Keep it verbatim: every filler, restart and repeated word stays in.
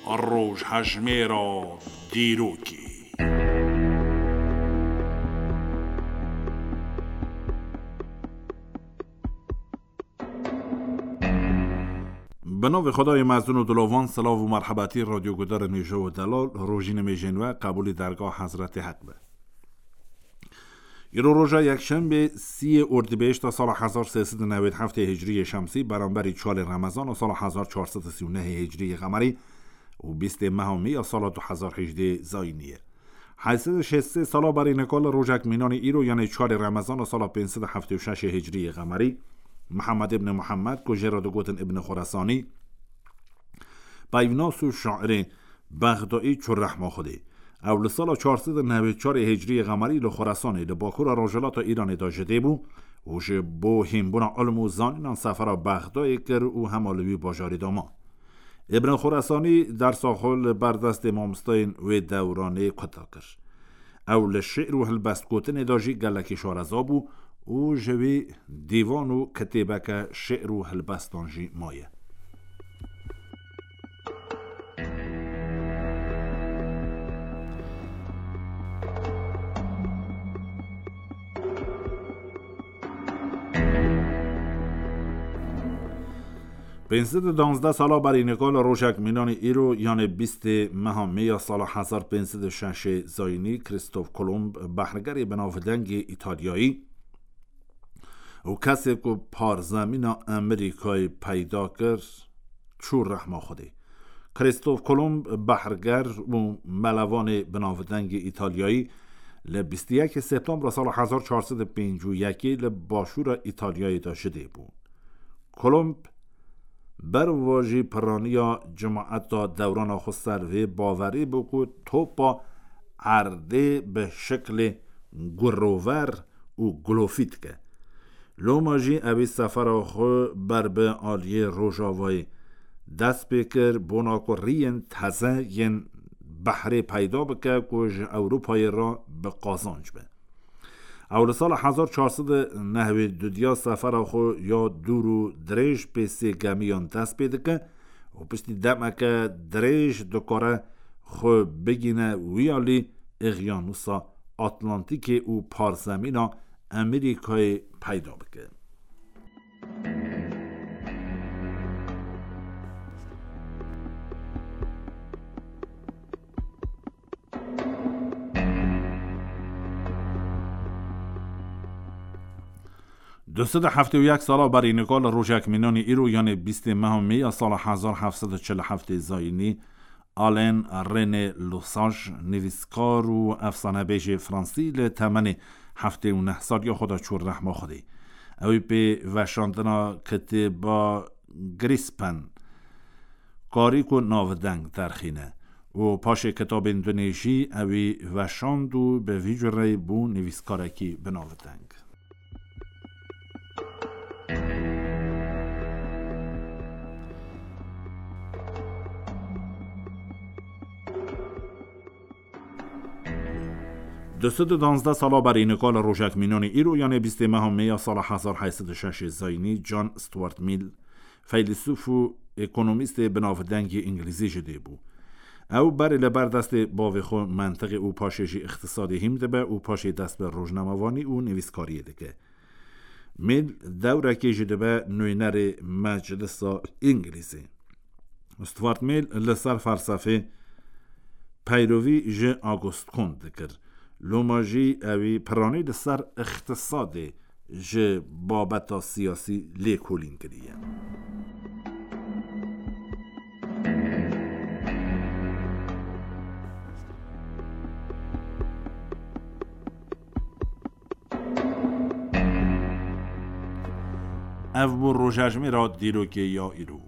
Rojhejmêra dîrokê. Bi navê Xwedayê mezin û dilovan, silav û merhebatî radyogudarên hêja û delal, rojî nimêjên we qebûlî dergah Hezretê Heq be. Îro roja yekşembê, siyê Ordibêhişta sala hezar sê sed û newêd heftê hicriyê şemsî, beramberî çarê Remezana sala hezar çar sed û sî û nehê hicriyê qemerî û bîstê meha Mê ya sala du hezar hejdê zayînî ye. Heyt sed û şêst sê sala berî nika li rojek mînanî îro, yanê çarê Remezana sala pênc sed û heftê û şeşê hicriyê qemerî, Mihemed îbn Mihemed, ku jê re digotin Îbn Xoresanî, peyvnas û şairê Bexdayî çû rehma Xwedê. Ew li sala çar sed û newêd çarê hicriyê qemerî li Xoresanê, li bakura rojhilata Îranê de ji dê bû û ji bo hînbûna ilm û zanînan sefera Bexdayê kir û hema li wî bajarî de ma. Îbn Xoresanî dersa xwe li ber destê mamosteyên wê dewranê kuta kir. Ew li şi'r û hilbestgotinê de jî gelekî şareza bû û ji wî dîvan û kitêbeke şi'r û hilbestan jî maye. Pênc sed û danzdeh sala berî nika li rojek mînanî îro, yanê bîstê meha Mê ya sala hezar pênc sed û şeşê zayînî, Krîstof Kolomb, behrgerê binavdengê Îtalyayî û kesê ku parzemîna Amerîkayê peyda kir, çû rehma Xwedê. Krîstof Kolomb, behrger û melevanê binavdengê Îtalyayî, li bîst û yekê Septembra sala hezar çar sed û pêncî û yekê li başûra Îtalyayê de ji dê bû. Kolomb ber va jî piraniya cemaeta dewrana xwe ser vê bawerî bû ku topa erdê bi şiklê gurover û gulofî dike. Loma jî ewî sefera xwe ber bi aliyê Rojavayê dest pê kir, bona ku riyên teze yên behrê peyda bike ku ji Ewropayê re bi qazanc be. Ew li sala hezar çar sed û newêd û dudiya sefera xwe ya dûr û dirêj pê sê gemiyan dest pê dike û piştî demeke dirêj dikare xwe bigîne wî alî Îqyanûsa Atlantîkê û parzemîna Amerîkayê peyda bike. Du sed û heftê û yek sala berî nika li rojek mînanî îro, yanê bîstê meha Mê ya sala hezar heft sed û çil û heftê zayînî, Alain René Lesage, nivîskar û efsanebêjê fransî, li temenê heftê û neh saliya xwe de çû rehma Xwedê. Ew ê pê veşandina kitêba Grispen, karî ku navdeng derxîne û paşê kitabên dinê jî ewî veşand û bi vî cureyî bû nivîskarekî binavdeng. Du sed û danzdeh sala berî nika li rojek mînanî îro, yanê bîstê meha Mê ya sala hezar heyt sed û şeşê zayînî, John Stuart Mill, feylesûf û ekonomîstê binavdengî îngilîzî ji dê bû. Ew berê li ber destê bavê xwe mentiqê û paşê jî îqtisadê hîm dibe û paşê dest bi rojnamevanî û nivîskariyê dike. Mill dewrekê jî dibe nûnerê Meclisa Îngilîzê. Stuart Mill li ser felsefê peyrovî ji Auguste Comte dikir. Loma jî ewî piranî li ser îqtisadê ji babeta siyasî lêkolîn kiriye. Ev bû rojejmêra dîrokê ya îro.